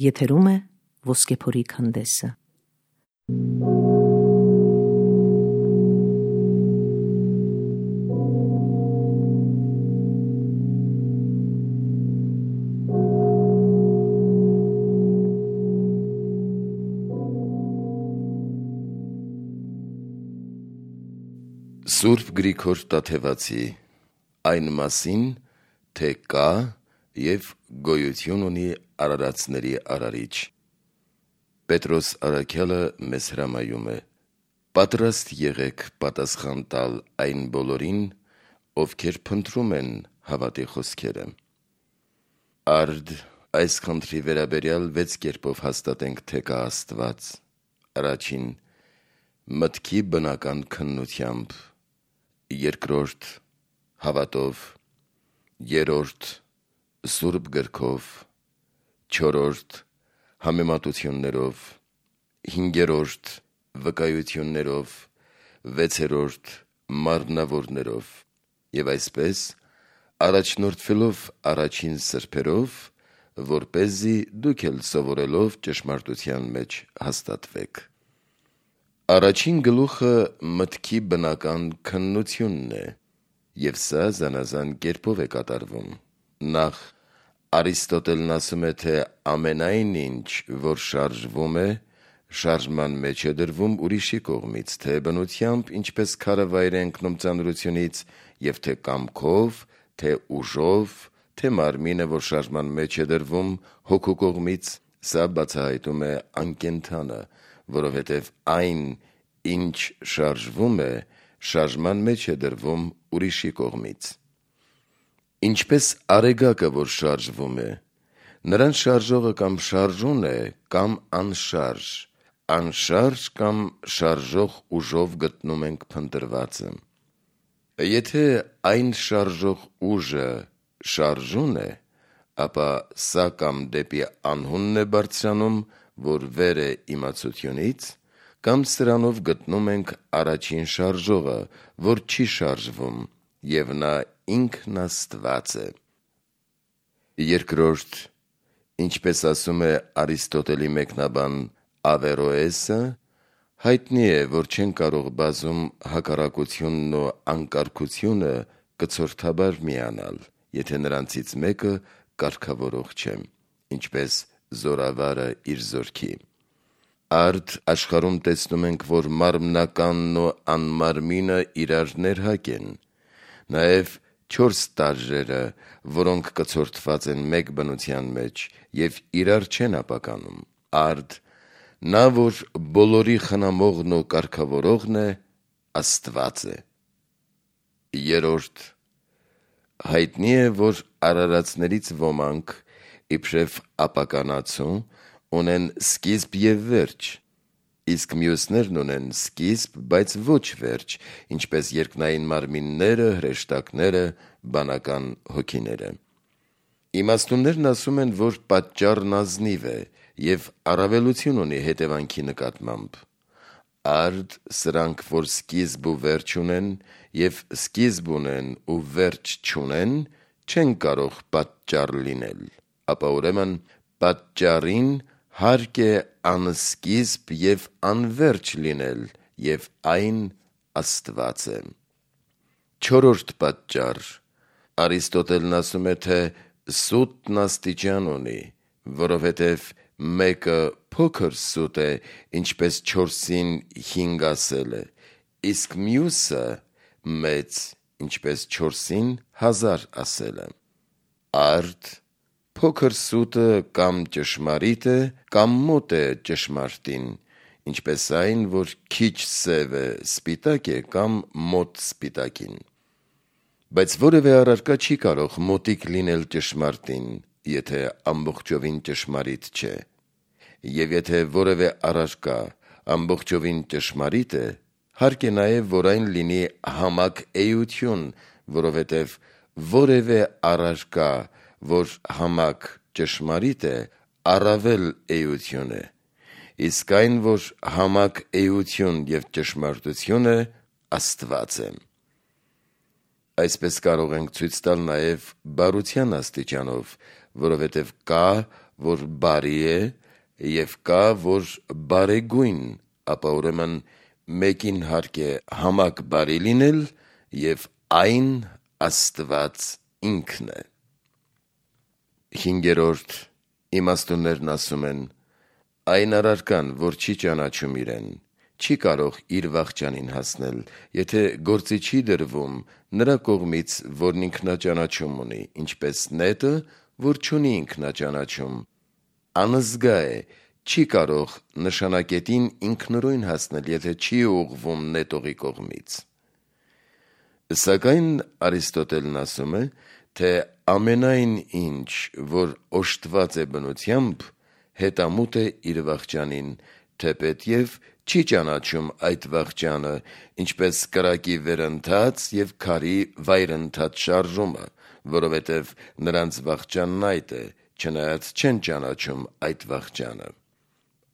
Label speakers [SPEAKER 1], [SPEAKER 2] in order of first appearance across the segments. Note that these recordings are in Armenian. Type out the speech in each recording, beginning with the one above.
[SPEAKER 1] Եթերում է Ոսկեփորի քանդեսը։
[SPEAKER 2] Սուրբ Գրիգոր Տաթևացի այն մասին, թե կա և գոյություն ունի արարածների արարիչ։ Պետրոս առաքյալը մեզ հրամայում է. պատրաստ եղեք պատասխան տալ այն բոլորին, ովքեր փնտրում են հավատի խոսքերը։ Արդ այս խնդրի վերաբերյալ 6 կերպով հաստատենք, թե կա Աստված. Առաջին՝ մտքի բնական քննությամբ, երկրորդ՝ հավատով, երրորդ՝ Սուրբ գրքով, չորրորդ՝ համեմատություններով, հինգերորդ՝ վկայություններով, վեցերորդ՝ մարմնավորներով, և այսպես առաջնորդվելով առաջին սրբերով, որպեսզի դուք էլ սովորելով ճշմարտության մեջ հաստատվեք։ Առաջին գլուխը մտքի բնական քննությունն է, և սա զանազան կերպով է կատարվում։ Նախ, Արիստոտելն ասում է, թե ամենայն ինչ, որ շարժվում է, շարժման մեջ է դրվում ուրիշի կողմից, թե բնությամբ, ինչպես քարը վայր է ընկնում ծանրությունից, և թե կամքով, թե ուժով, թե մարմինը, որ շարժման մեջ է դրվում հոգու կողմից, սա բացահայտում է անկենդանը, որովհետև այն, ինչ շարժվում է, շարժման մեջ է դրվում ուրիշի կողմից։ Ինչպես արեգակը, որ շարժվում է, նրան շարժողը կամ շարժուն է, կամ անշարժ, անշարժ կամ շարժող ուժով գտնում ենք փնտրվածը։ Եթե այն շարժող ուժը շարժուն է, ապա սա կամ դեպի անհունն է բարձրանում, որ վեր է իմացությունից, կամ սրանով գտնում ենք առաջին շարժողը, որ չի շարժվում, և նա ինքն Աստված է։ Երկրորդ, ինչպես ասում է Արիստոտելի մեկնաբան Ավերոեսը, հայտնի է, որ չեն կարող բազում հակառակությունն ու անկարգությունը կցորդաբար միանալ, եթե նրանցից մեկը կարգավորող չէ, ինչպես զորավարը իր զորքի։ Արդ աշխարհում տեսնում ենք, որ մարմնականն ու անմարմինը իրար ներհակ են, նաև 4 տարրերը, որոնք կցորդված են մեկ բնության մեջ և իրար չեն ապականում։ Արդ նա, որ բոլորի խնամողն ու կարգավորողն է, Աստված է։ Երրորդ, հայտնի է, որ արարածներից ոմանք, իբրև ապականացու, ունեն սկիզբ և վերջ, իսկ մյուսներն ունեն սկիզբ, բայց ոչ վերջ, ինչպես երկնային մարմինները, հրեշտակները, բանական հոգիները։ Իմաստուններն ասում են, որ պատճառն ազնիվ է և առավելություն ունի հետևանքի նկատմամբ։ Արդ սրանք, որ սկիզբ ու վերջ ունեն, և սկիզբ ունեն ու վերջ չունեն, չեն կարող պատճառ լինել, ապա ուրեմն պատճառին հարկ է անսկիզբ և անվերջ լինել, և այն Աստված է։ Չորրորդ պատճառ, Արիստոտելն ասում է, թե սուտն աստիճան ունի, որովհետև մեկը փոքր սուտ է, ինչպես 4-ին 5 ասել է, իսկ մյուսը մեծ, ինչպես 4-ին 1000 ասել է։ Արդ փոքր սուտը կամ ճշմարիտ է, կամ մոտ է ճշմարտին, ինչպես այն, որ քիչ սև է, սպիտակ է, կամ մոտ սպիտակին։ Բայց որևէ առարկա չի կարող մոտիկ լինել ճշմարտին, եթե ամբողջովին ճշմարիտ չէ։ Եվ եթե որևէ առարկա ամբողջովին ճշմարիտ է, հարկ է նաև, որ այն լինի համակ էություն, որովհետև որևէ առարկա, որ համակ ճշմարիտ է, առավել էություն է, իսկ այն, որ համակ էություն և ճշմարտություն է, Աստված է։ Այսպես կարող ենք ցույց տալ նաև բարության աստիճանով, որովհետև կա որ բարի է, եւ կա, որ բարեգույն, ապա ուրեմն մեկին հարկ է համակ բարի լինել, եւ այն Աստված ինքն է։ 5. Իմաստուններն ասում են. այն առարկան, որ չի ճանաչում իրեն, չի կարող իր վախճանին հասնել, եթե գործի չի դրվում նրա կողմից, որն ինքնաճանաչում ունի, ինչպես նետը, որ չունի ինքնաճանաչում, անզգա է, չի կարող նշանակետին ինքնուրույն հասնել, եթե չի ուղղվում նետողի կողմից։ Սակայն Արիստոտելն ասում է, թե ամենայն ինչ, որ օժտված է բնությամբ, հետամուտ է իր վախճանին, թեպետ եւ չի ճանաչում այդ վախճանը, ինչպես կրակի վերընթաց եւ քարի վայրընթաց շարժումը, որովհետեւ նրանց վախճանն այդ է, չնայած չեն ճանաչում այդ վախճանը։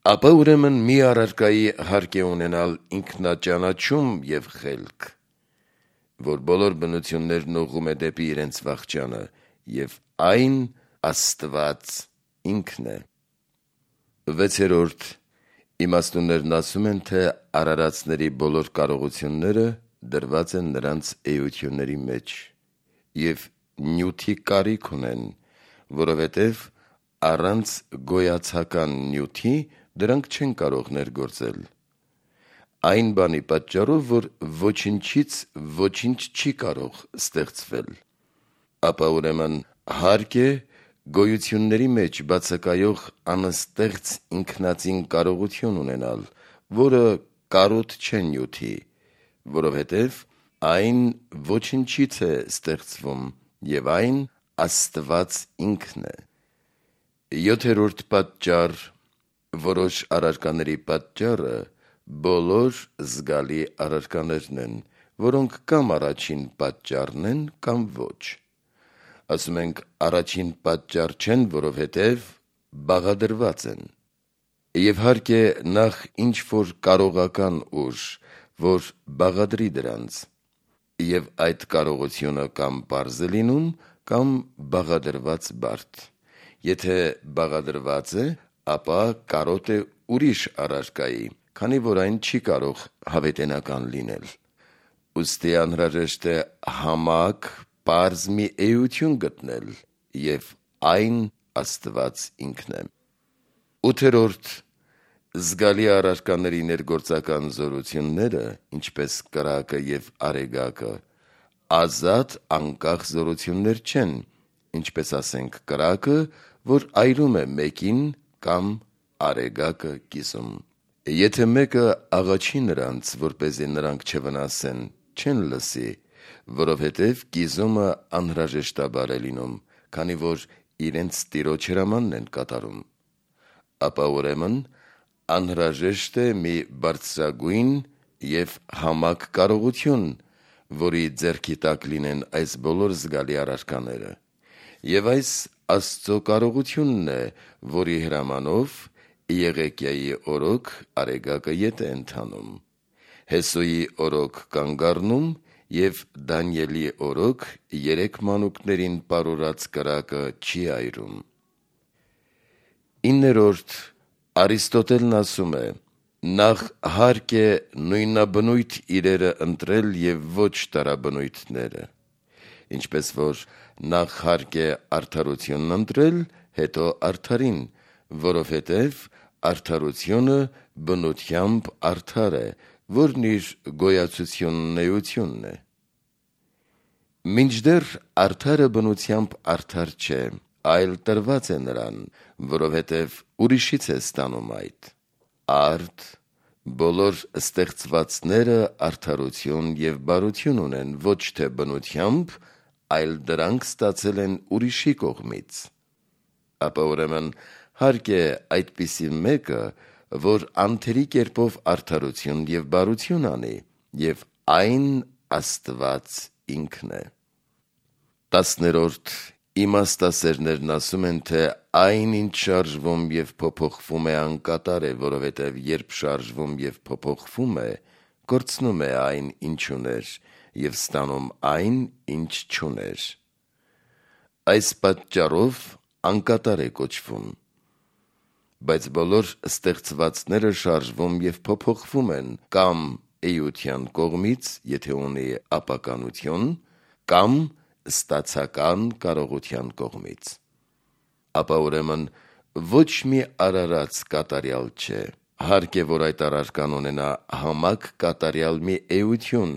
[SPEAKER 2] Ապա ուրեմն մի առարկայի հարկ է ունենալ ինքնաճանաչում եւ խելք, որ բոլոր բնություններն ուղղում է դեպի իրենց վախճանը, եւ այն Աստված ինքն է։ 6. Իմաստուններն ասում են, թե արարածների բոլոր կարողությունները դրված են նրանց էությունների մեջ, եւ նյութի կարիք ունեն, որովհետեւ առանց գոյացական նյութի դրանք չեն կարող ներգործել։ Այն բանի պատճառով, որ ոչինչից ոչինչ չի կարող ստեղծվել, ապա ուրեմն հարկ է գոյությունների մեջ բացակայող անստեղծ ինքնածին կարողություն ունենալ, որը կարոտ չէ նյութի, որովհետև այն ոչինչից է ստեղծվում, եւ այն Աստված ինքն է։ 7. պատճառ, որոշ առարկաների պատճառը բոլոր զգալի առարկաներն են, որոնք կամ առաջին պատճառն են, կամ ոչ։ Ասում ենք առաջին պատճառ չեն, որովհետև բաղադրված են։ Եվ հարկ է նախ ինչ-որ կարողական ուժ, որ բաղադրի դրանց, եւ այդ կարողությունը կամ պարզ է լինում, կամ բաղադրված բարդ։ Եթե բաղադրված է, ապա կարոտ է ուրիշ առարկայի, քանի որ այն չի կարող հավետենական լինել։ Ուստի անհրաժեշտ է համակ, պարզ մի էություն գտնել, եւ այն Աստված ինքն է։ 8. Զգալի առարկաների ներգործական զորությունները, ինչպես կրակը եւ արեգակը, ազատ անկախ զորություններ չեն, ինչպես ասենք կրակը, որ այրում է մեկին, կամ արեգակը կիսում։ Եթե մեկը աղաչի նրանց, որպեսզի նրանք չվնասեն, չեն լսի, որովհետև կիզումը անհրաժեշտաբար է լինում, քանի որ իրենց տիրոջ հրամանն են կատարում։ Ապա ուրեմն անհրաժեշտ է մի բարձրագույն եւ համակ կարողություն, որի ձեռքի տակ լինեն այս բոլոր զգալի առարկաները, եւ այս Աստծո կարողությունն է, որի հրամանով Եղեկիայի օրոք արեգակը ետ է ընթանում, Հեսոյի օրոք կանգ առնում, եւ Դանիելի օրոք 3 մանուկներին պարուրած կրակը չի այրում։ 9. Արիստոտելն ասում է. նախ հարկ է նույնաբնույթ իրերը ընտրել եւ ոչ տարաբնույթները, ինչպես որ նախ հարկ է արդարությունն ընտրել, հետո արդարին, որովհետև արդարությունը բնությամբ արդար է, որն իր գոյացությունն էությունն է։ Մինչդեռ արդարը բնությամբ արդար չէ, այլ տրված է նրան, որովհետև ուրիշից է ստանում այդ։ Արդ, բոլոր ստեղծվածները արդարություն եւ բարություն ունեն ոչ թե բնությամբ, այլ դրանք ստացել են ուրիշի կողմից։ Ապա ուրեմն հարկ է այդպիսի մեկը, որ անթերի կերպով արդարություն եւ բարություն անի, եւ այն Աստված ինքն է։ 10. Իմաստասերներն ասում են, թե այն ինչ շարժվում եւ փոփոխվում է անկատար է, որովհետեւ երբ շարժվում եւ փոփոխվում է, կորցնում է այն ինչ ուներ եւ ստանում այն ինչ չուներ։ Այս պատճառով անկատար է կոչվում, բայց բոլոր ստեղծվածները շարժվում եւ փոփոխվում են կամ էության կողմից, եթե ունի ապականություն, կամ ստացական կարողության կողմից։ Ապա ուրեմն ոչ մի արարած կատարյալ չէ, հարկ է, որ այդ առարկան ունենա համակ կատարյալ մի էություն,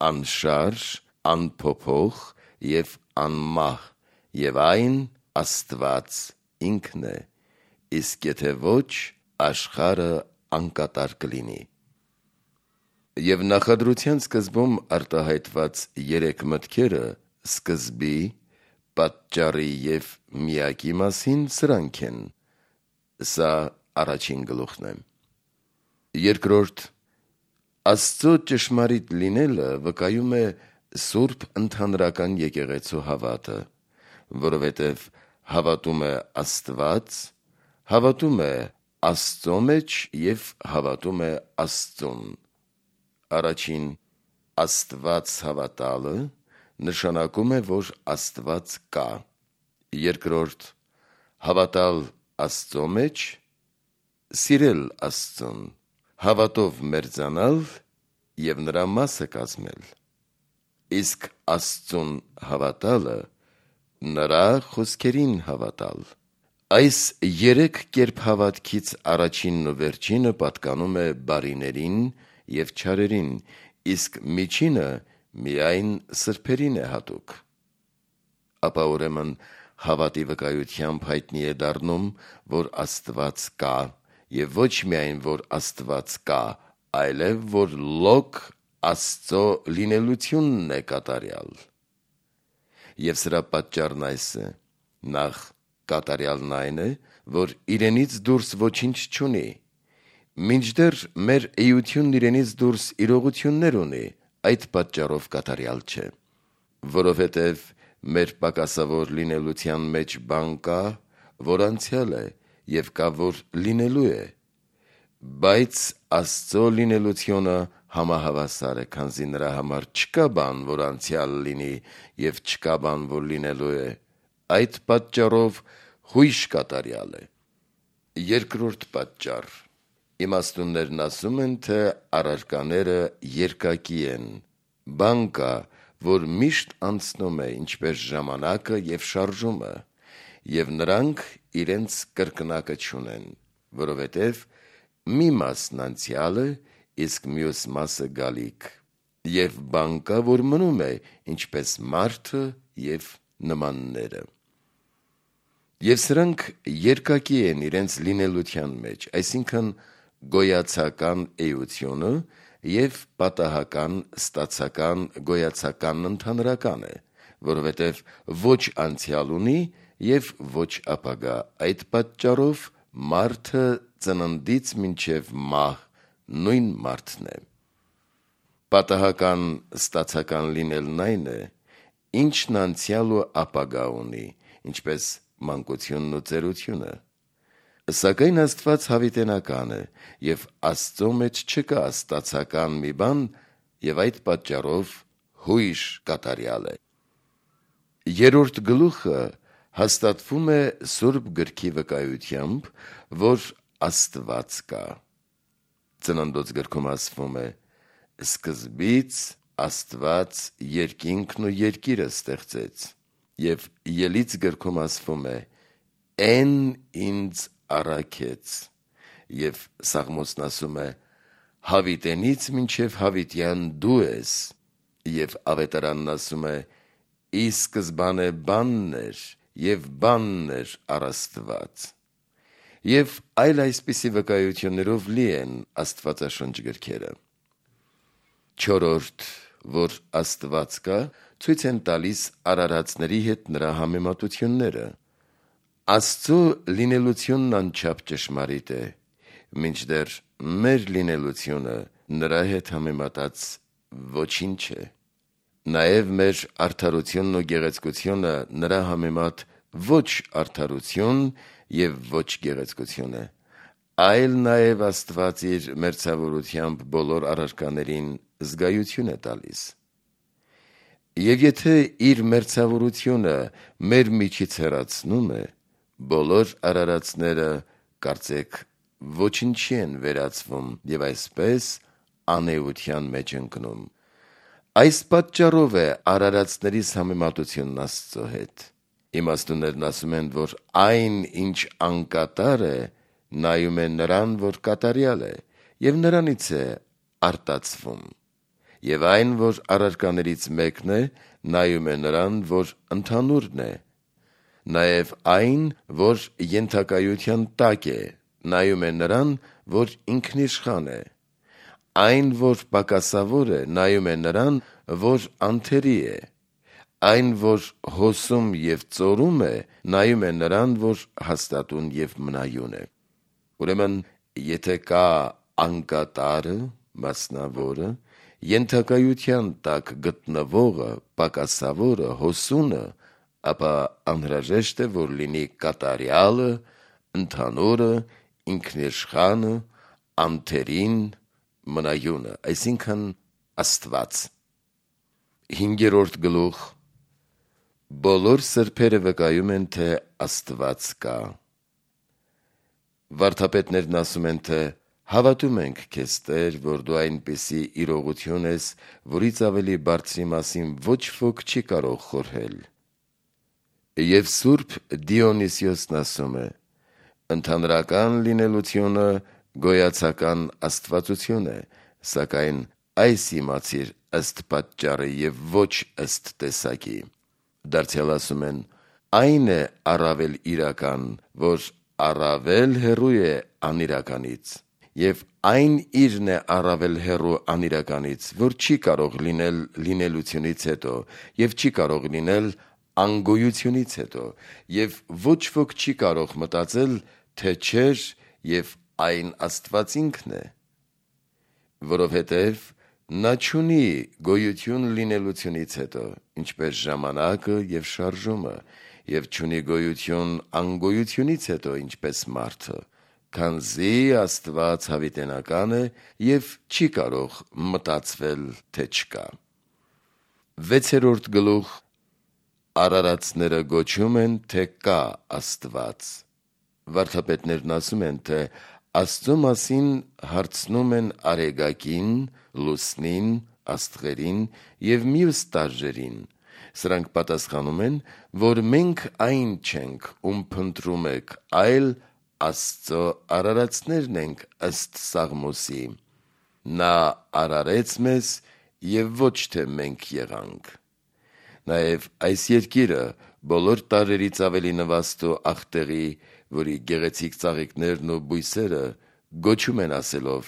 [SPEAKER 2] անշարժ, անփոփոխ եւ անմահ, եւ այն Աստված ինքն է, իսկ եթե ոչ, աշխարհը անկատար կլինի։ Եվ նախադրության սկզբում արտահայտված երեք մտքերը սկզբի, պատճառի եւ միակի մասին սրանք են։ Սա առաջին գլուխն է։ Երկրորդ, Աստծո ճշմարիտ լինելը վկայում է Սուրբ ընդհանրական եկեղեցու հավատը, որովհետև հավատում է Աստված, հավատում է Աստծո մեջ եւ հավատում է Աստծուն։ Առաջին, Աստված հավատալը նշանակում է, որ Աստված կա։ Երկրորդ, հավատալ Աստծո մեջ, սիրել Աստծուն, հավատով մերձանալ եւ նրա մասը կազմել։ Իսկ Աստծուն հավատալը նրա խոսքերին հավատալ։ Այս երեք կերպ հավատքից առաջինն ու վերջինը պատկանում է բարիներին եւ չարերին, իսկ միջինը միայն սրբերին է հատուկ։ Ապա ուրեմն հավատի վկայությամբ հայտնի է դառնում, որ Աստված կա, եւ ոչ միայն որ Աստված կա, այլև որ լոկ Աստծո լինելությունն է կատարյալ։ Եվ սրա պատճառն այս է. նախ կատարյալն այն է, որ իրենից դուրս ոչինչ չունի, մինչդեռ մեր էությունն իրենից դուրս իրողություններ ունի, այդ պատճառով կատարյալ չէ, որովհետև մեր պակասավոր լինելության մեջ բան կա, որ անցյալ է, եւ կա, որ լինելու է, բայց Աստծո լինելությունը համահավասար է, քանզի նրա համար չկա բան, որ անցյալ լինի, եւ չկա բան, որ լինելու է, այդ պատճառով հույժ կատարյալ է։ Երկրորդ պատճառ. իմաստուններն ասում են, թե առարկաները երկակի են, բան կա, որ միշտ անցնում է, ինչպես ժամանակը եւ շարժումը, եւ նրանք իրենց կրկնակը չունեն, որովհետև մի մասն անցյալ է, իսկ մյուս մասը գալիք, եւ բան կա, որ մնում է, ինչպես մարդը եւ նմանները։ Եվ սրանք երկակի են իրենց լինելության մեջ, այսինքն գոյացական էությունը եւ պատահական ստացական գոյացական ընդհանրական է, որովհետև ոչ անցյալ ունի եւ ոչ ապագա, այդ պատճառով մարդը ծննդից մինչև մահ նույն մարդն է։ Պատահական ստացական լինելն այն է, ինչն անցյալ ու ապագա ունի, ինչպես մանկությունն ու ծերությունը, սակայն Աստված հավիտենական է եւ Աստծո մեջ չկա ստացական մի բան եւ այդ պատճառով հույժ կատարյալ է։ Երրորդ գլուխը հաստատվում է Սուրբ գրքի վկայությամբ, որ Աստված կա։ Ծննդոց գրքում ասվում է. սկզբից Աստված երկինքն ու երկիրը ստեղծեց, եւ Ելից գրքում ասվում է. «Էն ինձ առաքեց», եւ Սաղմոսն ասում է. «Հավիտենից մինչև հավիտյան դու ես», եւ Ավետարանն ասում է. «Ի սկզբանե բանն էր, եւ բանն էր առ Աստված», եւ այլ այսպիսի վկայություններով լի են Աստվածաշնչ գրքերը։ Չորրորդ, որ Աստված կա, ցույց են տալիս արարածների հետ նրա համեմատությունները։ Աստծո լինելությունն անչափ ճշմարիտ է, մինչդեռ մեր լինելությունը նրա հետ համեմատած ոչինչ է։ Նաև մեր արդարությունն ու գեղեցկությունը նրա համեմատ ոչ արդարություն եւ ոչ գեղեցկություն է, այլ նաև Աստված իր մերձավորությամբ բոլոր առարկաներին զգայություն է տալիս։ Եվ եթե իր մերձավորությունը մեր միջից հեռացնում է, բոլոր արարածները կարծեք ոչինչի են վերածվում եւ այսպես անեության մեջ ընկնում։ Այս պատճառով է արարածներիս համեմատությունն Աստծո հետ։ Իմաստուններն ասում են, որ այն, ինչ անկատար է, նայում է նրան, որ կատարյալ է, եւ նրանից է արտացվում, եւ այն, որ առարկաներից մեկն է, նայում է նրան, որ ընդհանուրն է, նաեւ այն, որ ենթակայության տակ է, նայում է նրան, որ ինքնիշխան է, այն, որ պակասավոր է, նայում է նրան, որ անթերի է, այն, որ հոսում եւ ծորում է, նայում է նրան, որ հաստատուն եւ մնայուն է։ Ուրեմն, եթե կա անկատարը, մասնավորը, ենթակայության տակ գտնվողը, պակասավորը, հոսունը, ապա անհրաժեշտ է, որ լինի կատարյալը, ընդհանուրը, ինքնիշխանը, անթերին, մնայունը, այսինքն Աստված։ 5-րդ գլուխ. Բոլոր սրբերը վկայում են, թե Աստված կա։ Վարդապետներն ասում են, թե հավատում ենք քեզ, Տեր, որ դու այնպիսի իրողություն ես, որից ավելի բարձրի մասին ոչ ոք չի կարող խորհել։ Եվ Սուրբ Դիոնիսիոսն ասում է. ընդհանրական լինելությունը գոյացական աստվածություն է, սակայն այս իմացիր ըստ պատճառի եւ ոչ ըստ տեսակի։ Դարձյալ ասում են. այն է առավել իրական, որ առավել հեռու է անիրականից, եւ այն իրն է առավել հեռու անիրականից, որ չի կարող լինել լինելությունից հետո, եւ չի կարող լինել անգոյությունից հետո, եւ ոչ ոք չի կարող մտածել, թե չէր եւ այն Աստված ինքն է, որովհետեւ նա չունի գոյություն լինելությունից հետո, ինչպես ժամանակը եւ շարժումը, եւ չունի գոյություն անգոյությունից հետո, ինչպես մարդը, քանզի Աստված հավիտենական է եւ չի կարող մտածվել, թե չկա։ 6-րդ գլուխ. Արարածները գոչում են, թե կա Աստված։ Վարդապետներն ասում են, թե Աստծո մասին հարցնում են արեգակին, լուսնին, աստղերին եւ մյուս տարրերին։ Սրանք պատասխանում են, որ մենք այն չենք, ում փնտրում եք, այլ Աստծո արարածներն ենք ըստ Սաղմոսի. նա արարեց մեզ եւ ոչ թե մենք եղանք։ Նաեւ այս երկիրը բոլոր տարրերից ավելի նվաստ ու աղտեղի, որի գեղեցիկ ծաղիկներն ու բույսերը գոչում են ասելով.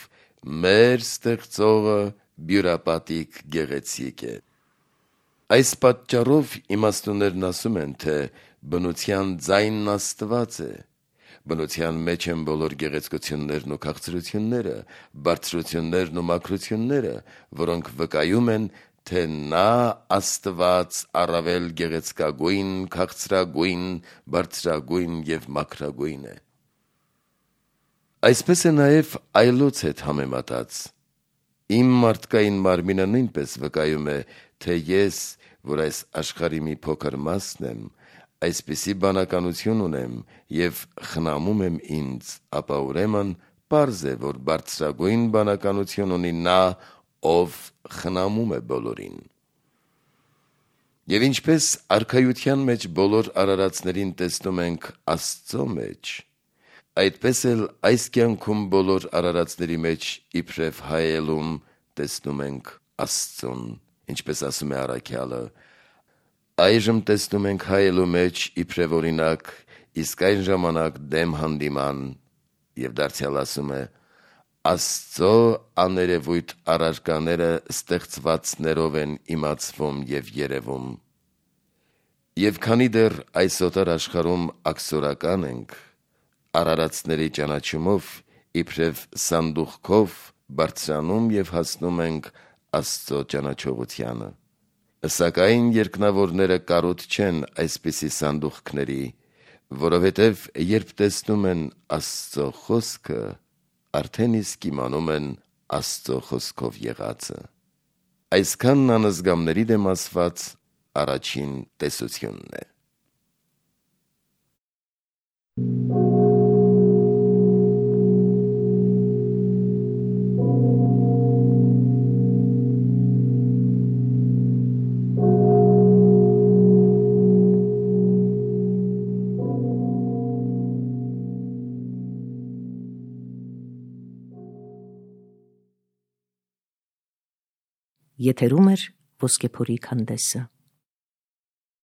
[SPEAKER 2] մեր ստեղծողը բյուրապատիկ գեղեցիկ է։ Այս պատճառով իմաստուններն ասում են, թե բնության ձայնն Աստված է։ Բնության մեջ են բոլոր գեղեցկություններն ու քաղցրությունները, բարձրություններն ու մաքրությունները, որոնք վկայում են, թե նա Աստված առավել գեղեցկագույն, քաղցրագույն, բարձրագույն եւ մաքրագույն է։ Այսպես է նաեւ այլոց հետ համեմատած։ Իմ մարդկային մարմինը նույնպես վկայում է, թե ես, որ այս աշխարհի մի փոքր մասն եմ, այսպիսի բանականություն ունեմ եւ խնամում եմ ինձ, ապա ուրեմն պարզ է, որ բարձրագույն բանականություն ունի նա, ով խնամում է բոլորին։ Եվ ինչպես արքայության մեջ բոլոր արարածներին տեսնում ենք Աստծո մեջ, այդպես էլ այս կյանքում բոլոր արարածների մեջ իբրև հայելում տեսնում ենք Աստծուն, ինչպես ասում է առաքյալը. այժմ տեսնում ենք հայելու մեջ իբրև օրինակ, իսկ այն ժամանակ դեմ հանդիման, եւ դարձյալ ասում է. Աստծո աներևույթ առարկաները ստեղծվածներով են իմացվում եւ երևում։ Եվ քանի դեռ այս օտար աշխարհում աքսորական ենք, արարածների ճանաչումով իբրև սանդուղքով բարձրանում եւ հասնում ենք Աստծո ճանաչողությանը։ Սակայն երկնավորները կարոտ չեն այսպիսի սանդուղքների, որովհետև երբ տեսնում են Աստծո խոսքը, արդեն իսկ իմանում են Աստծո խոսքով եղածը։ Այսքանն անզգամների դեմ ասված առաջին տեսությունն է։
[SPEAKER 1] Եթերում էր Ոսկեփորի քանդեսը։